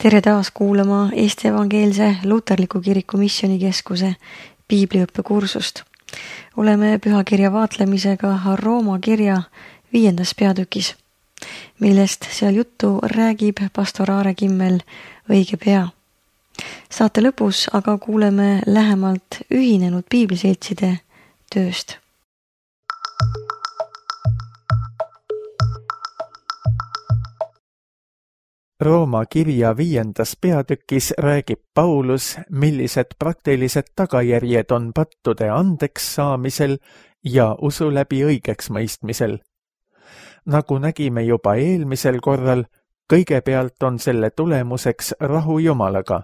Tere taas kuulama Eesti Evangeelse Luterliku Kiriku Missioonikeskuse piibliõppekursust. Oleme pühakirja vaatlemisega Rooma kirja 5. peatükis, millest seal juttu räägib pastor Aare Kimmel õige pea. Saate lõpus aga kuuleme lähemalt ühinenud piibliseltside tööst. Rooma kirja 5. peatükis räägib Paulus, millised praktilised tagajärjed on pattude andeks saamisel ja usu läbi õigeks mõistmisel. Nagu nägime juba eelmisel korral, kõigepealt on selle tulemuseks rahu Jumalaga.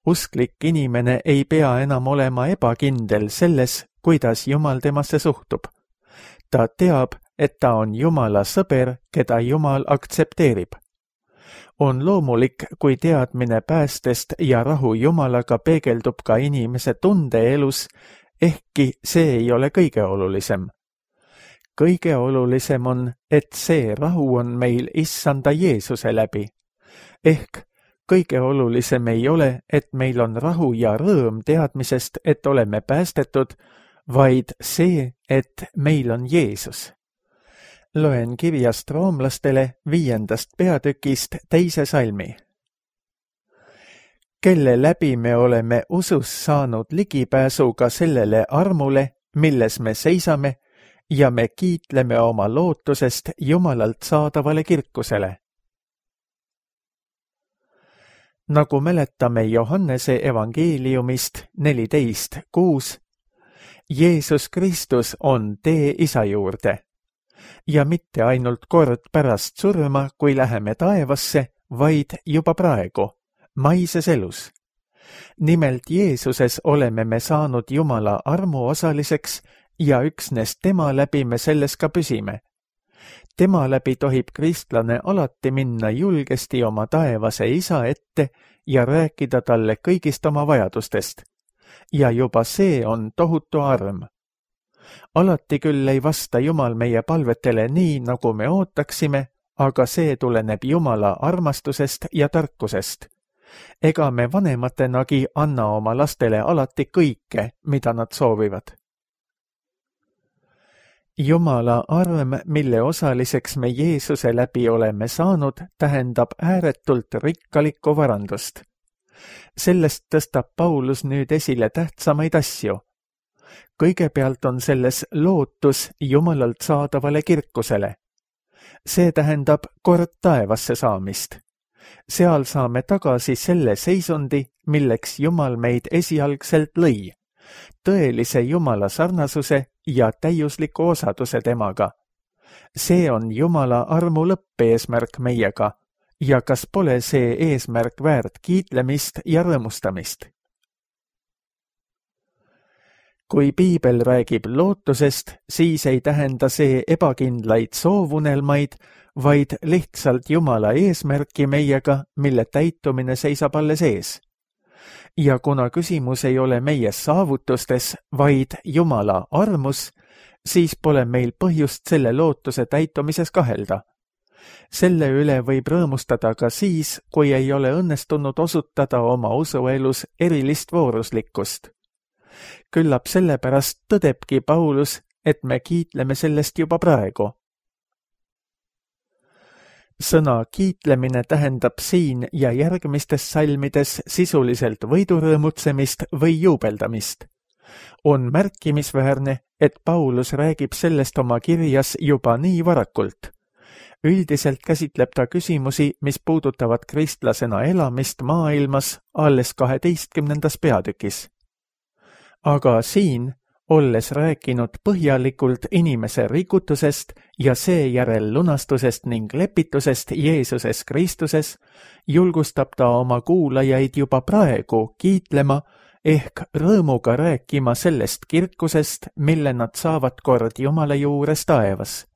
Usklik inimene ei pea enam olema ebakindel selles, kuidas Jumal temasse suhtub. Ta teab, et ta on Jumala sõber, keda Jumal aktsepteerib. On loomulik, kui teadmine päästest ja rahu Jumalaga peegeldub ka inimese tundeelus, ehkki see ei ole kõige olulisem. Kõige olulisem on, et see rahu on meil Issanda Jeesuse läbi. Ehk kõige olulisem ei ole, et meil on rahu ja rõõm teadmisest, et oleme päästetud, vaid see, et meil on Jeesus. Loen kirjast roomlastele 5. peatükist 2. salmi. Kelle läbi me oleme usus saanud ligipääsuga sellele armule, milles me seisame, ja me kiitleme oma lootusest Jumalalt saadavale kirkusele. Nagu mäletame Johannese evangeeliumist 14:6, Jeesus Kristus on tee Isa juurde. Ja mitte ainult kord pärast surma, kui läheme taevasse, vaid juba praegu, maises elus. Nimelt Jeesuses oleme me saanud Jumala armu osaliseks ja üksnes tema läbi me selles ka püsime. Tema läbi tohib kristlane alati minna julgesti oma taevase Isa ette ja rääkida talle kõigist oma vajadustest. Ja juba see on tohutu arm. Alati küll ei vasta Jumal meie palvetele nii, nagu me ootaksime, aga see tuleneb Jumala armastusest ja tarkusest. Ega me vanematenagi anna oma lastele alati kõike, mida nad soovivad. Jumala arm, mille osaliseks me Jeesuse läbi oleme saanud, tähendab ääretult rikkalikku varandust. Sellest tõstab Paulus nüüd esile tähtsamaid asju. Kõigepealt on selles lootus Jumalalt saadavale kirkusele. See tähendab kord taevasse saamist. Seal saame tagasi selle seisundi, milleks Jumal meid esialgselt lõi. Tõelise Jumala sarnasuse ja täiusliku osaduse temaga. See on Jumala armu lõppeesmärk meiega ja kas pole see eesmärk väärt kiitlemist ja rõõmustamist? Kui piibel räägib lootusest, siis ei tähenda see ebakindlaid soovunelmaid, vaid lihtsalt Jumala eesmärki meiega, mille täitumine seisab alles ees. Ja kuna küsimus ei ole meie saavutustes, vaid Jumala armus, siis pole meil põhjust selle lootuse täitumises kahelda. Selle üle võib rõõmustada ka siis, kui ei ole õnnestunud osutada oma usuelus erilist vooruslikkust. Küllap sellepärast tõdebki Paulus, et me kiitleme sellest juba praegu. Sõna kiitlemine tähendab siin ja järgmistes salmides sisuliselt võidurõõmutsemist või juubeldamist. On märkimisväärne, et Paulus räägib sellest oma kirjas juba nii varakult. Üldiselt käsitleb ta küsimusi, mis puudutavad kristlasena elamist maailmas alles 12. peatükis. Aga siin, olles rääkinud põhjalikult inimese rikutusest ja seejärel lunastusest ning lepitusest Jeesuses Kristuses, julgustab ta oma kuulajaid juba praegu kiitlema ehk rõõmuga rääkima sellest kirkusest, mille nad saavad kord Jumala juures taevas.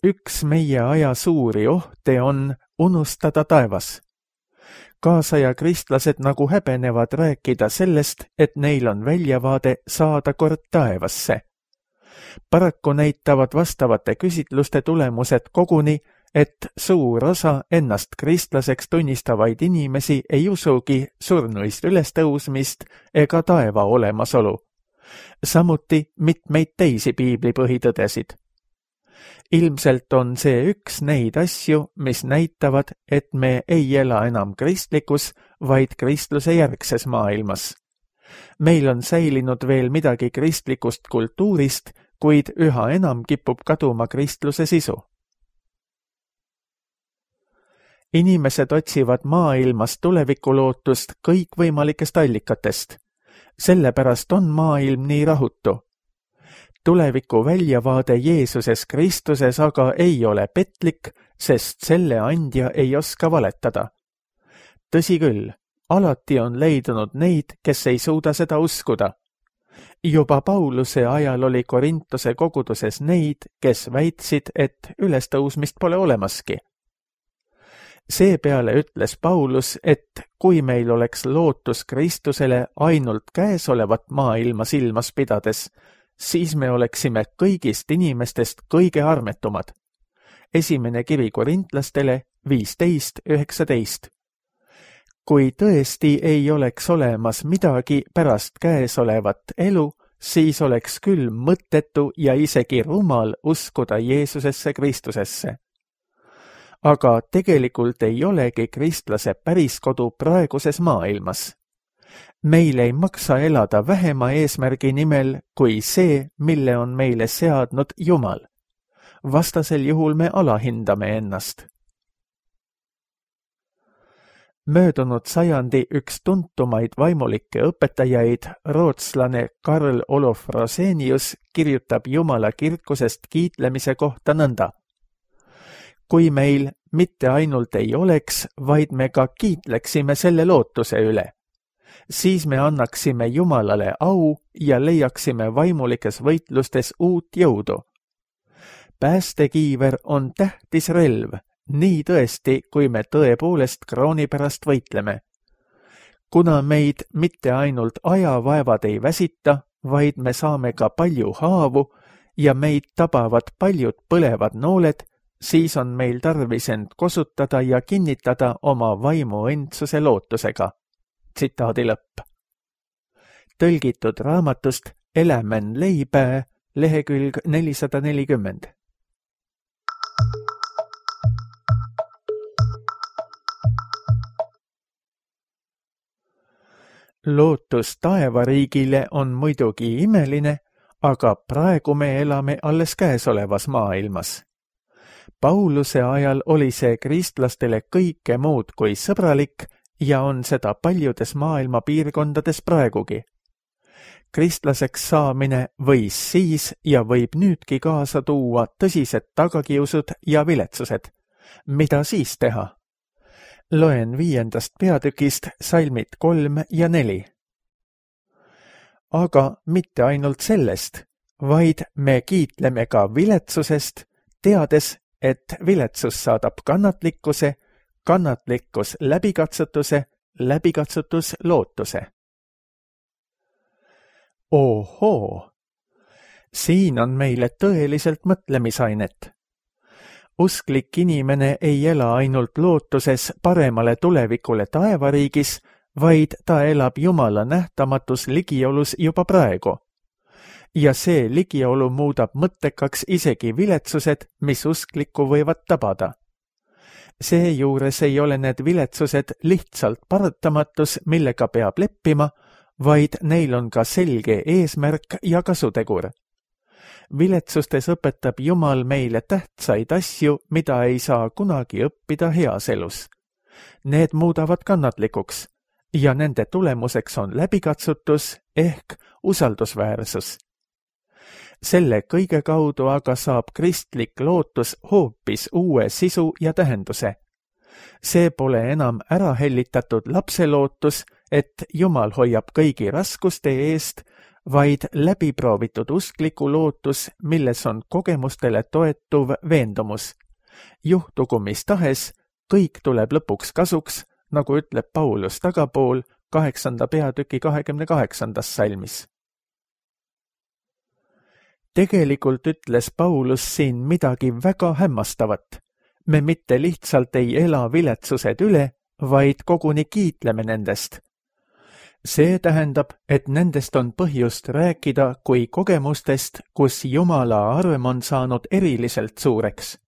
Üks meie aja suuri ohte on unustada taevas. Kaasaja kristlased nagu häbenevad rääkida sellest, et neil on väljavaade saada kord taevasse. Paraku näitavad vastavate küsitluste tulemused koguni, et suur osa ennast kristlaseks tunnistavaid inimesi ei usugi surnuist ülestõusmist ega taeva olemasolu. Samuti mitmeid teisi piibli põhitõdesid. Ilmselt on see üks neid asju, mis näitavad, et me ei ela enam kristlikus, vaid kristluse järgses maailmas. Meil on säilinud veel midagi kristlikust kultuurist, kuid üha enam kipub kaduma kristluse sisu. Inimesed otsivad maailmas tulevikulootust kõikvõimalikest allikatest. Sellepärast on maailm nii rahutu. Tuleviku väljavaade Jeesuses Kristuses aga ei ole petlik, sest selle andja ei oska valetada. Tõsi küll, alati on leidunud neid, kes ei suuda seda uskuda. Juba Pauluse ajal oli Korintuse koguduses neid, kes väitsid, et ülestõusmist pole olemaski. Seepeale ütles Paulus, et kui meil oleks lootus Kristusele ainult käesolevat maailma silmas pidades, siis me oleksime kõigist inimestest kõige armetumad. Esimene kiri korintlastele 15:19. Kui tõesti ei oleks olemas midagi pärast käesolevat elu, siis oleks küll mõttetu ja isegi rumal uskuda Jeesusesse Kristusesse. Aga tegelikult ei olegi kristlase päriskodu praeguses maailmas. Meil ei maksa elada vähema eesmärgi nimel kui see, mille on meile seadnud Jumal. Vastasel juhul me alahindame ennast. Möödunud sajandi üks tuntumaid vaimulikke õpetajaid, rootslane Karl Olof Rosenius, kirjutab Jumala kirkusest kiitlemise kohta nõnda. Kui meil mitte ainult ei oleks, vaid me ka kiitleksime selle lootuse üle, siis me annaksime Jumalale au ja leiaksime vaimulikes võitlustes uut jõudu. Päästekiiver on tähtis relv, nii tõesti, kui me tõepoolest krooni pärast võitleme. Kuna meid mitte ainult ajavaevad ei väsita, vaid me saame ka palju haavu ja meid tabavad paljud põlevad nooled, siis on meil tarvis end kosutada ja kinnitada oma vaimu endsuse lootusega. Tsitaadi lõpp. Tõlgitud raamatust Elämän leipää, lehekülg 440. Lootus taevariigile on muidugi imeline, aga praegu me elame alles käesolevas maailmas. Pauluse ajal oli see kristlastele kõike muud kui sõbralik ja on seda paljudes maailma piirkondades praegugi. Kristlaseks saamine võis siis ja võib nüüdki kaasa tuua tõsised tagakiusud ja viletsused. Mida siis teha? Loen 5. peatükist salmid 3 ja 4. Aga mitte ainult sellest, vaid me kiitleme ka viletsusest, teades, et viletsus saadab kannatlikkuse, kannatlikkus läbikatsutuse, läbikatsutus lootuse. Ohoo! Siin on meile tõeliselt mõtlemisainet. Usklik inimene ei ela ainult lootuses paremale tulevikule taevariigis, vaid ta elab Jumala nähtamatus ligiolus juba praegu. Ja see ligiolu muudab mõttekaks isegi viletsused, mis usklikku võivad tabada. Seejuures ei ole need viletsused lihtsalt paratamatus, millega peab leppima, vaid neil on ka selge eesmärk ja kasutegur. Viletsustes õpetab Jumal meile tähtsaid asju, mida ei saa kunagi õppida heas elus. Need muudavad kannatlikuks ja nende tulemuseks on läbikatsutus ehk usaldusväärsus. Selle kõige kaudu aga saab kristlik lootus hoopis uue sisu ja tähenduse. See pole enam ära hellitatud lapselootus, et Jumal hoiab kõigi raskuste eest, vaid läbiproovitud uskliku lootus, milles on kogemustele toetuv veendumus. Juhtugu mis tahes, kõik tuleb lõpuks kasuks, nagu ütleb Paulus tagapool 8. peatüki 28. salmis. Tegelikult ütles Paulus siin midagi väga hämmastavat. Me mitte lihtsalt ei ela viletsused üle, vaid koguni kiitleme nendest. See tähendab, et nendest on põhjust rääkida kui kogemustest, kus Jumala arm on saanud eriliselt suureks.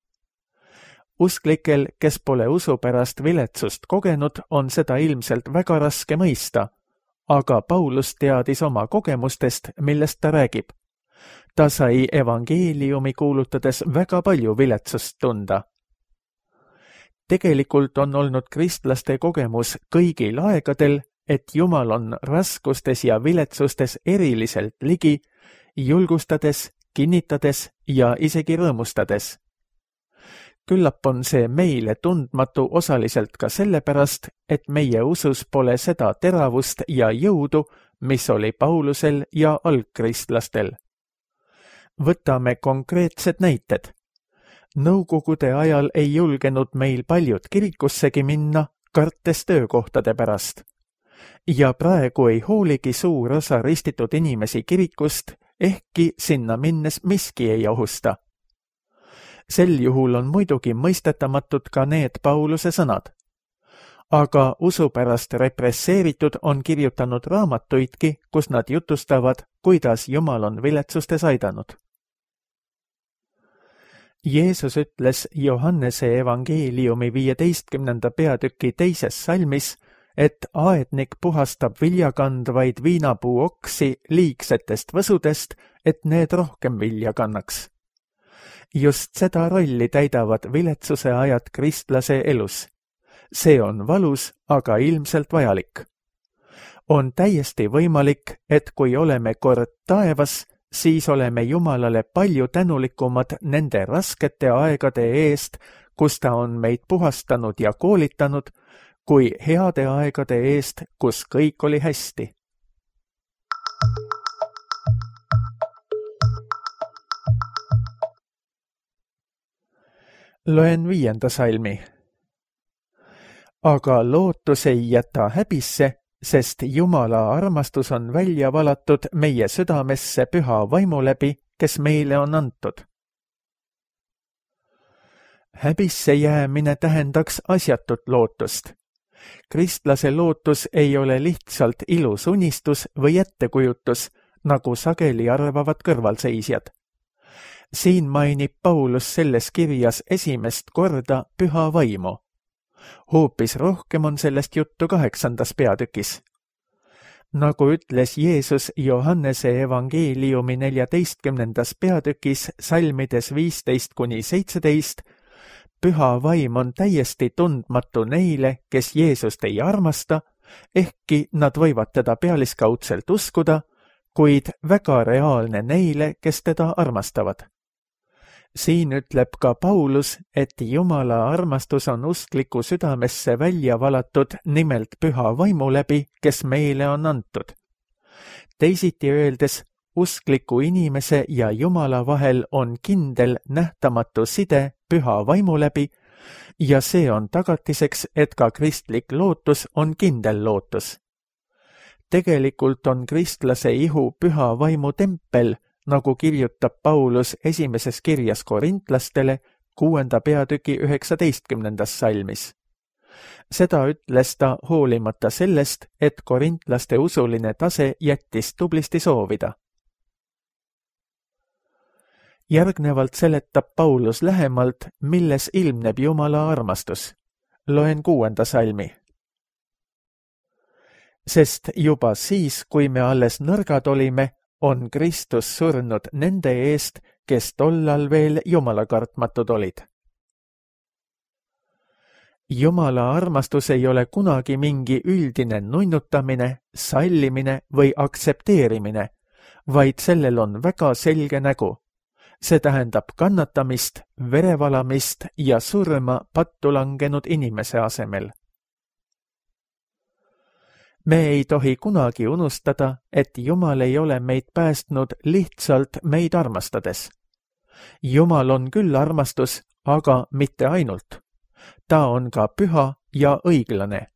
Usklikel, kes pole usu pärast viletsust kogenud, on seda ilmselt väga raske mõista, aga Paulus teadis oma kogemustest, millest ta räägib. Ta sai evangeeliumi kuulutades väga palju viletsust tunda. Tegelikult on olnud kristlaste kogemus kõigil aegadel, et Jumal on raskustes ja viletsustes eriliselt ligi, julgustades, kinnitades ja isegi rõõmustades. Küllap on see meile tundmatu osaliselt ka sellepärast, et meie usus pole seda teravust ja jõudu, mis oli Paulusel ja algkristlastel. Võtame konkreetsed näited. Nõukogude ajal ei julgenud meil paljud kirikussegi minna, kartes töökohtade pärast. Ja praegu ei hooligi suur osa ristitud inimesi kirikust, ehkki sinna minnes miski ei ohusta. Sel juhul on muidugi mõistetamatud ka need Pauluse sõnad. Aga usu pärast represseeritud on kirjutanud raamatuidki, kus nad jutustavad, kuidas Jumal on viletsustes aidanud. Jeesus ütles Johannese evangeeliumi 15. peatüki 2. salmis, et aednik puhastab viljakandvaid viinapuu oksi liigsetest võsudest, et need rohkem vilja kannaks. Just seda rolli täidavad viletsuse ajad kristlase elus. See on valus, aga ilmselt vajalik. On täiesti võimalik, et kui oleme kord taevas, siis oleme Jumalale palju tänulikumad nende raskete aegade eest, kus ta on meid puhastanud ja koolitanud, kui heade aegade eest, kus kõik oli hästi. Loen 5. salmi. Aga lootus ei jäta häbisse, sest Jumala armastus on välja valatud meie südamesse püha vaimu läbi, kes meile on antud. Häbisse jäämine tähendaks asjatut lootust. Kristlase lootus ei ole lihtsalt ilus unistus või ettekujutus, nagu sageli arvavad kõrvalseisjad. Siin mainib Paulus selles kirjas esimest korda püha vaimu. Hoopis rohkem on sellest juttu 8. peatükis. Nagu ütles Jeesus Johannese evangeeliumi 14. peatükis salmides 15-17, püha vaim on täiesti tundmatu neile, kes Jeesust ei armasta, ehkki nad võivad teda pealiskaudselt uskuda, kuid väga reaalne neile, kes teda armastavad. Siin ütleb ka Paulus, et Jumala armastus on uskliku südamesse välja valatud nimelt püha vaimu läbi, kes meile on antud. Teisiti öeldes, uskliku inimese ja Jumala vahel on kindel nähtamatu side püha vaimu läbi ja see on tagatiseks, et ka kristlik lootus on kindel lootus. Tegelikult on kristlase ihu püha vaimu tempel, nagu kirjutab Paulus esimeses kirjas korintlastele 6. peatüki 19. salmis. Seda ütles ta hoolimata sellest, et korintlaste usuline tase jättis tublisti soovida. Järgnevalt seletab Paulus lähemalt, milles ilmneb Jumala armastus. Loen 6. salmi. Sest juba siis, kui me alles nõrgad olime, on Kristus surnud nende eest, kes tollal veel jumalakartmatud olid. Jumala armastus ei ole kunagi mingi üldine nunnutamine, sallimine või aktsepteerimine, vaid sellel on väga selge nägu. See tähendab kannatamist, verevalamist ja surma pattu langenud inimese asemel. Me ei tohi kunagi unustada, et Jumal ei ole meid päästnud lihtsalt meid armastades. Jumal on küll armastus, aga mitte ainult. Ta on ka püha ja õiglane.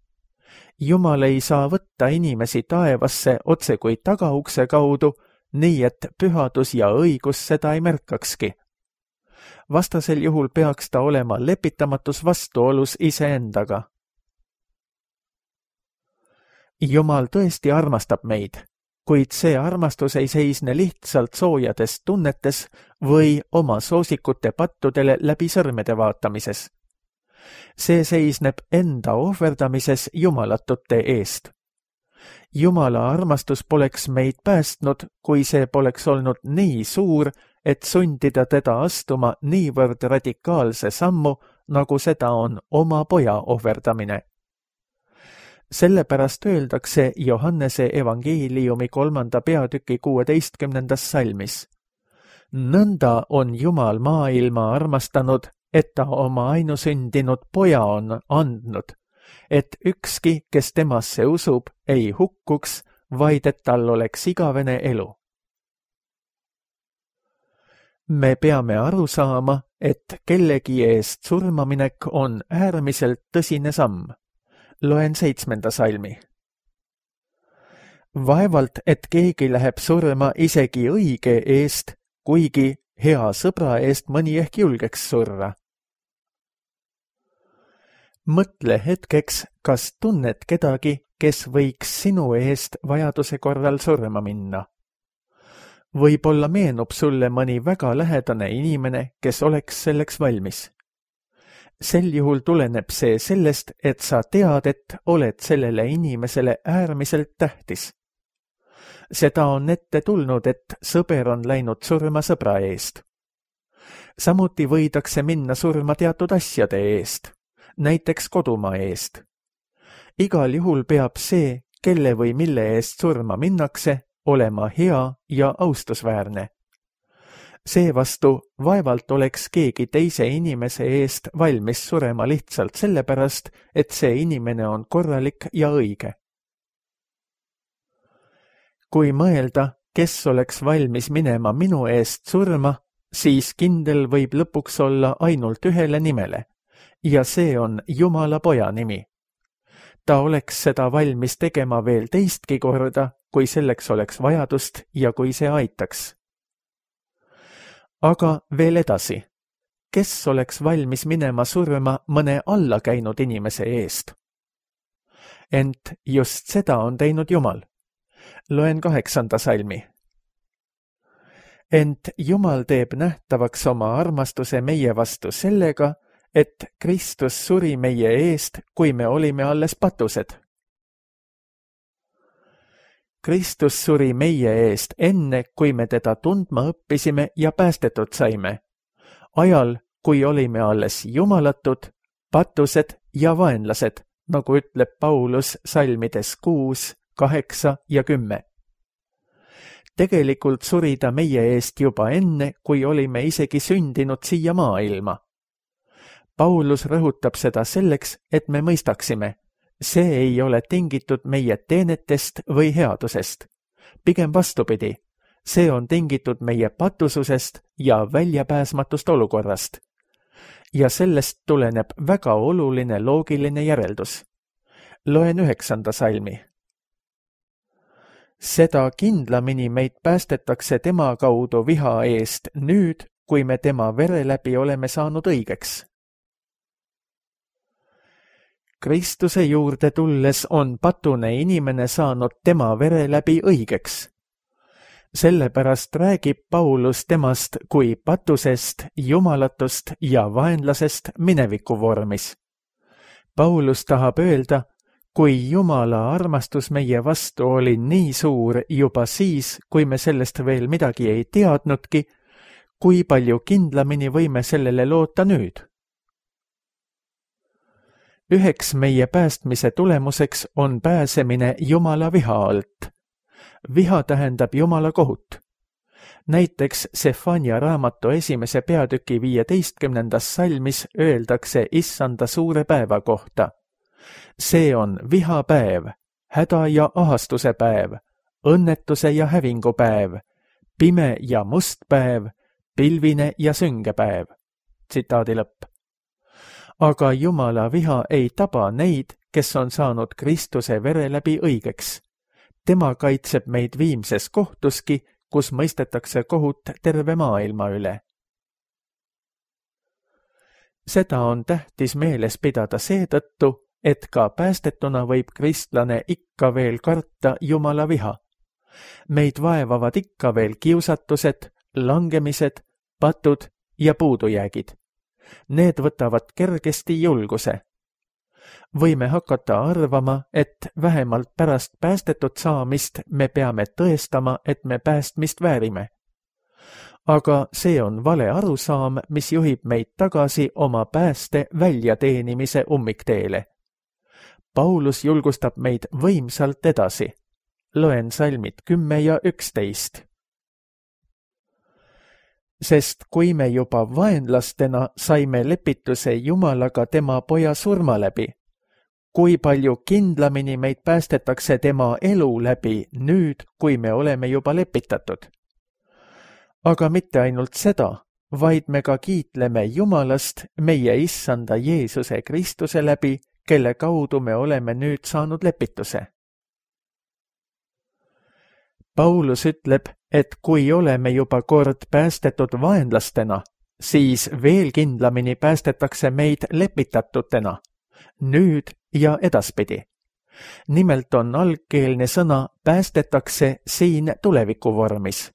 Jumal ei saa võtta inimesi taevasse otse kui tagaukse kaudu, nii et pühadus ja õigus seda ei märkakski. Vastasel juhul peaks ta olema lepitamatus vastuolus iseendaga. Jumal tõesti armastab meid, kuid see armastus ei seisne lihtsalt soojades tunnetes või oma soosikute pattudele läbi sõrmede vaatamises. See seisneb enda ohverdamises jumalatute eest. Jumala armastus poleks meid päästnud, kui see poleks olnud nii suur, et sundida teda astuma niivõrd radikaalse sammu, nagu seda on oma poja ohverdamine. Sellepärast öeldakse Johannese evangeeliumi 3. peatüki 16. salmis. Nõnda on Jumal maailma armastanud, et ta oma ainusündinud poja on andnud, et ükski, kes temasse usub, ei hukkuks, vaid et tal oleks igavene elu. Me peame aru saama, et kellegi eest surmaminek on äärmiselt tõsine samm. Loen 7. salmi. Vaevalt, et keegi läheb surma isegi õige eest, kuigi hea sõbra eest mõni ehk julgeks surra. Mõtle hetkeks, kas tunned kedagi, kes võiks sinu eest vajaduse korral surma minna. Võib-olla meenub sulle mõni väga lähedane inimene, kes oleks selleks valmis. Sel juhul tuleneb see sellest, et sa tead, et oled sellele inimesele äärmiselt tähtis. Seda on ette tulnud, et sõber on läinud surma sõbra eest. Samuti võidakse minna surma teatud asjade eest, näiteks kodumaa eest. Igal juhul peab see, kelle või mille eest surma minnakse, olema hea ja austusväärne. Seevastu vaevalt oleks keegi teise inimese eest valmis surema lihtsalt sellepärast, et see inimene on korralik ja õige. Kui mõelda, kes oleks valmis minema minu eest surma, siis kindel võib lõpuks olla ainult ühele nimele, ja see on Jumala poja nimi. Ta oleks seda valmis tegema veel teistki korda, kui selleks oleks vajadust ja kui see aitaks. Aga veel edasi, kes oleks valmis minema surma mõne alla käinud inimese eest? Ent just seda on teinud Jumal. Loen 8. salmi. Ent Jumal teeb nähtavaks oma armastuse meie vastu sellega, et Kristus suri meie eest, kui me olime alles patused. Kristus suri meie eest enne, kui me teda tundma õppisime ja päästetud saime. Ajal, kui olime alles jumalatud, patused ja vaenlased, nagu ütleb Paulus salmides 6, 8 ja 10. Tegelikult suri ta meie eest juba enne, kui olime isegi sündinud siia maailma. Paulus rõhutab seda selleks, et me mõistaksime. See ei ole tingitud meie teenetest või headusest. Pigem vastupidi, see on tingitud meie patususest ja väljapääsmatust olukorrast. Ja sellest tuleneb väga oluline loogiline järeldus. Loen 9. salmi. Seda kindlamini meid päästetakse tema kaudu viha eest nüüd, kui me tema vere läbi oleme saanud õigeks. Kristuse juurde tulles on patune inimene saanud tema vere läbi õigeks. Sellepärast räägib Paulus temast kui patusest, jumalatust ja vaenlasest mineviku vormis. Paulus tahab öelda, kui Jumala armastus meie vastu oli nii suur juba siis, kui me sellest veel midagi ei teadnudki, kui palju kindlamini võime sellele loota nüüd. Üheks meie päästmise tulemuseks on pääsemine Jumala viha alt. Viha tähendab Jumala kohut. Näiteks Sefania raamatu 1. peatüki 15. salmis öeldakse issanda suure päeva kohta. See on vihapäev, häda ja ahastuse päev, õnnetuse ja hävingu päev, pime ja must päev, pilvine ja sünge päev. Tsitaadi lõpp. Aga Jumala viha ei taba neid, kes on saanud Kristuse vere läbi õigeks. Tema kaitseb meid viimses kohtuski, kus mõistetakse kohut terve maailma üle. Seda on tähtis meeles pidada seetõttu, et ka päästetuna võib kristlane ikka veel karta Jumala viha. Meid vaevavad ikka veel kiusatused, langemised, patud ja puudujäägid. Need võtavad kergesti julguse. Võime hakata arvama, et vähemalt pärast päästetud saamist me peame tõestama, et me päästmist väärime. Aga see on vale arusaam, mis juhib meid tagasi oma pääste väljateenimise ummikteele. Paulus julgustab meid võimsalt edasi. Loen salmid 10 ja 11. Sest kui me juba vaenlastena saime lepituse Jumalaga tema poja surma läbi, kui palju kindlamini meid päästetakse tema elu läbi nüüd, kui me oleme juba lepitatud. Aga mitte ainult seda, vaid me ka kiitleme Jumalast meie issanda Jeesuse Kristuse läbi, kelle kaudu me oleme nüüd saanud lepituse. Paulus ütleb, et kui oleme juba kord päästetud vaenlastena, siis veel kindlamini päästetakse meid lepitatutena, nüüd ja edaspidi. Nimelt on algkeelne sõna päästetakse siin tuleviku vormis.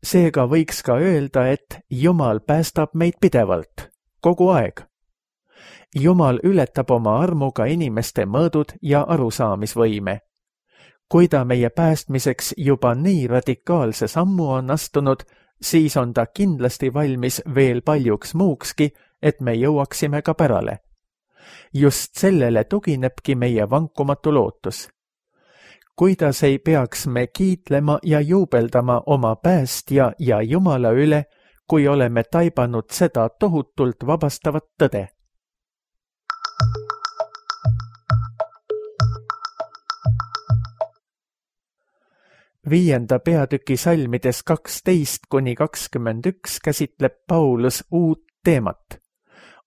Seega võiks ka öelda, et Jumal päästab meid pidevalt, kogu aeg. Jumal ületab oma armuga inimeste mõõdud ja arusaamisvõime. Kui ta meie päästmiseks juba nii radikaalse sammu on astunud, siis on ta kindlasti valmis veel paljuks muukski, et me jõuaksime ka pärale. Just sellele tuginebki meie vankumatu lootus. Kuidas ei peaks me kiitlema ja juubeldama oma päästja ja Jumala üle, kui oleme taibanud seda tohutult vabastavat tõde? Viienda peatüki salmides 12–21 käsitleb Paulus uut teemat.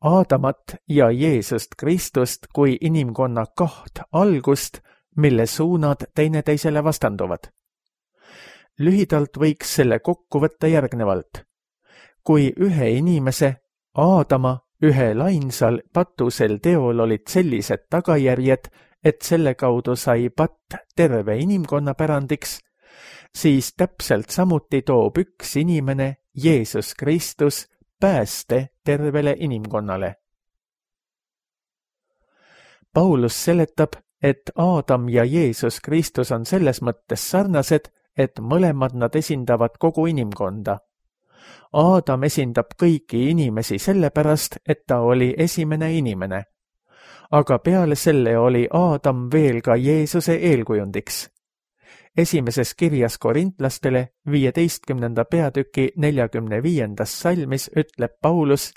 Aadamat ja Jeesust Kristust kui inimkonna kaht algust, mille suunad teineteisele vastanduvad. Lühidalt võiks selle kokku võtta järgnevalt. Kui ühe inimese, Aadama, ühel ainsal patusel teol olid sellised tagajärjed, et selle kaudu sai patt terve inimkonna pärandiks, siis täpselt samuti toob üks inimene, Jeesus Kristus, pääste tervele inimkonnale. Paulus seletab, et Aadam ja Jeesus Kristus on selles mõttes sarnased, et mõlemad nad esindavad kogu inimkonda. Aadam esindab kõiki inimesi sellepärast, et ta oli esimene inimene. Aga peale selle oli Aadam veel ka Jeesuse eelkujundiks. Esimeses kirjas korintlastele 15. peatüki 45. salmis ütleb Paulus,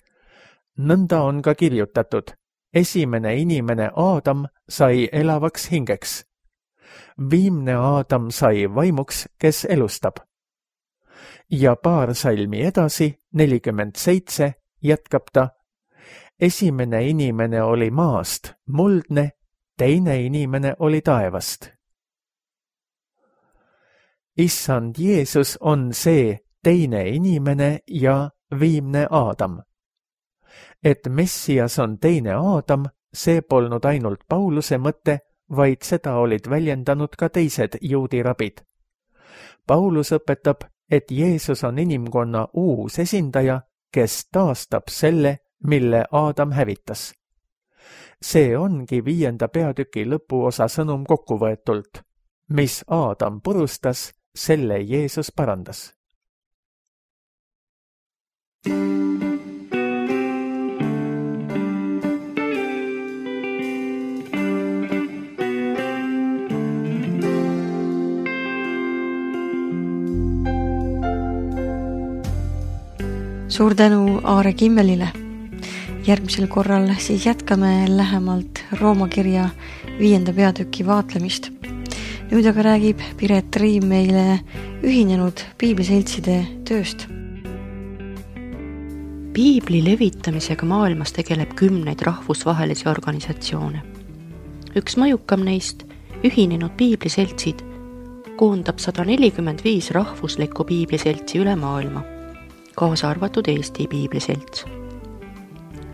nõnda on ka kirjutatud, esimene inimene Aadam sai elavaks hingeks. Viimne Aadam sai vaimuks, kes elustab. Ja paar salmi edasi, 47, jätkab ta, esimene inimene oli maast, muldne, teine inimene oli taevast. Issand Jeesus on see teine inimene ja viimne Aadam. Et Messias on teine Aadam, see polnud ainult Pauluse mõte, vaid seda olid väljendanud ka teised juudi rabid. Paulus õpetab, et Jeesus on inimkonna uus esindaja, kes taastab selle, mille Aadam hävitas. See ongi 5. peatüki lõpuosa sõnum kokkuvõetult. Mis Aadam purustas, selle Jeesus parandas. Suur tänu Aare Kimmelile. Järgmisel korral siis jätkame lähemalt Rooma kirja 5. peatüki vaatlemist. Nüüd aga räägib Piret Riim meile ühinenud piibliseltside tööst. Piibli levitamisega maailmas tegeleb 10 rahvusvahelisi organisatsioone. Üks mõjukam neist, ühinenud piibliseltsid, koondab 145 rahvuslikku piibliseltsi üle maailma, kaasa arvatud Eesti piibliselts.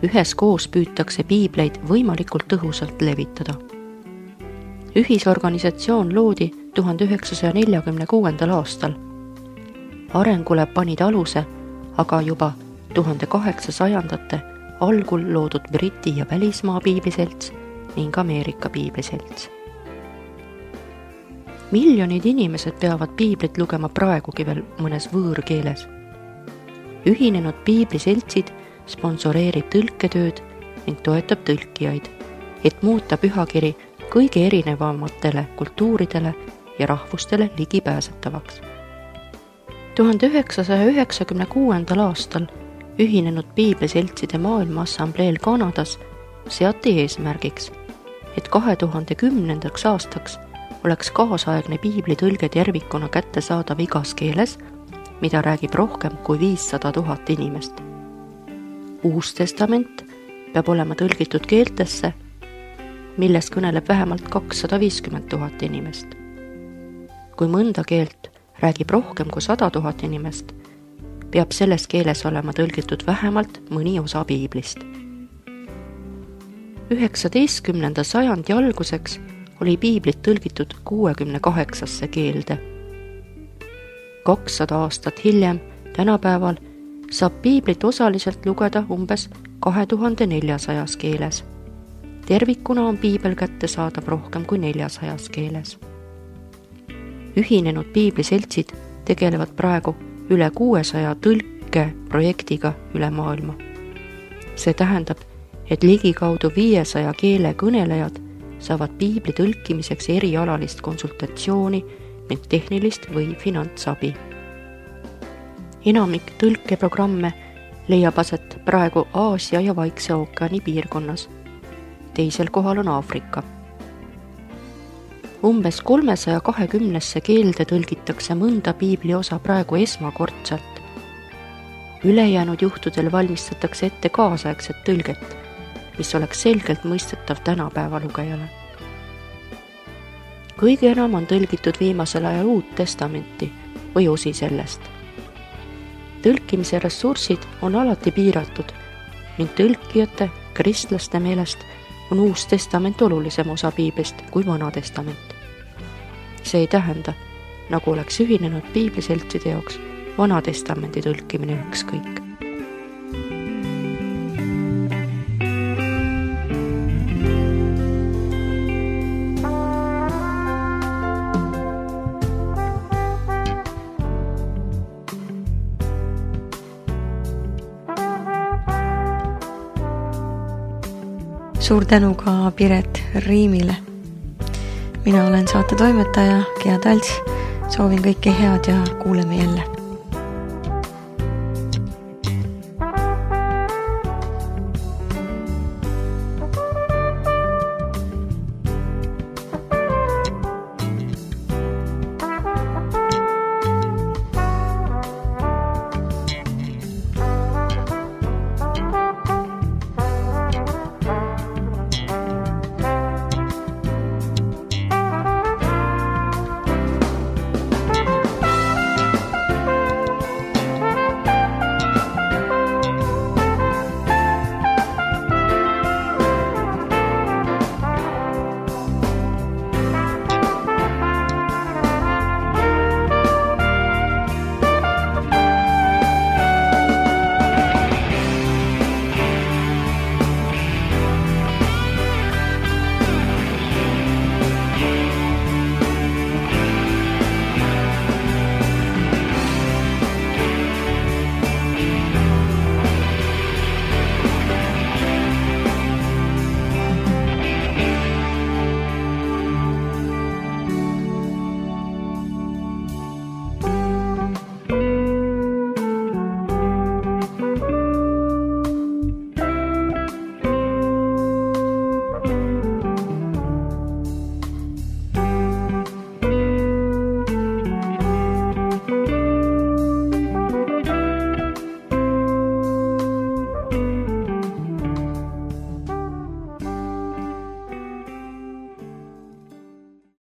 Üheskoos püütakse piibleid võimalikult tõhusalt levitada. Ühisorganisatsioon loodi 1946. aastal. Arengule panid aluse aga juba 1800. algul loodud Briti ja välismaa piibliselts ning Ameerika piibliselts. Miljonid inimesed peavad piiblit lugema praegugi veel mõnes võõrkeeles. Ühinenud piibliseltsid sponsoreerib tõlketööd ning toetab tõlkijaid, et muuta pühakiri kõige erinevamatele kultuuridele ja rahvustele ligipääsetavaks. 1996. aastal ühinenud piibliseltside maailmaassambleel Kanadas seati eesmärgiks, et 2010. aastaks oleks kaasaegne piiblitõlge tervikuna kättesaadav igas keeles, mida räägib rohkem kui 500 000 inimest. Uus testament peab olema tõlgitud keeltesse, milles kõneleb vähemalt 250 000 inimest. Kui mõnda keelt räägib rohkem kui 100 000 inimest, peab selles keeles olema tõlgitud vähemalt mõni osa piiblist. 19. sajandi alguseks oli piiblit tõlgitud 68 keelde. 200 aastat hiljem, tänapäeval, saab piiblit osaliselt lugeda umbes 2400 keeles. Tervikuna on piibel kättesaadav rohkem kui 400 keeles. Ühinenud piibliseltsid tegelevad praegu üle 600 tõlkeprojektiga üle maailma. See tähendab, et ligikaudu 500 keele kõnelejad saavad piibli tõlkimiseks erialalist konsultatsiooni ning tehnilist või finantsabi. Enamik tõlkeprogramme leiab aset praegu Aasia ja Vaikse ookeani piirkonnas. Teisel kohal on Aafrika. Umbes 320 keelde tõlgitakse mõnda piibli osa praegu esmakordselt. Ülejäänud juhtudel valmistatakse ette kaasaegset tõlget, mis oleks selgelt mõistetav tänapäeva lugejale. Kõige enam on tõlgitud viimasel ajal Uut Testamenti või osi sellest. Tõlkimise ressursid on alati piiratud ning tõlkijate, kristlaste meelest on Uus Testament olulisem osa piiblist kui Vana Testament. See ei tähenda, nagu oleks ühinenud piibliseltside jaoks Vana Testamendi tõlkimine ükskõik. Suur tänu ka Piret Riimile. Mina olen saate toimetaja Gea Talts. Soovin kõike head ja kuuleme jälle.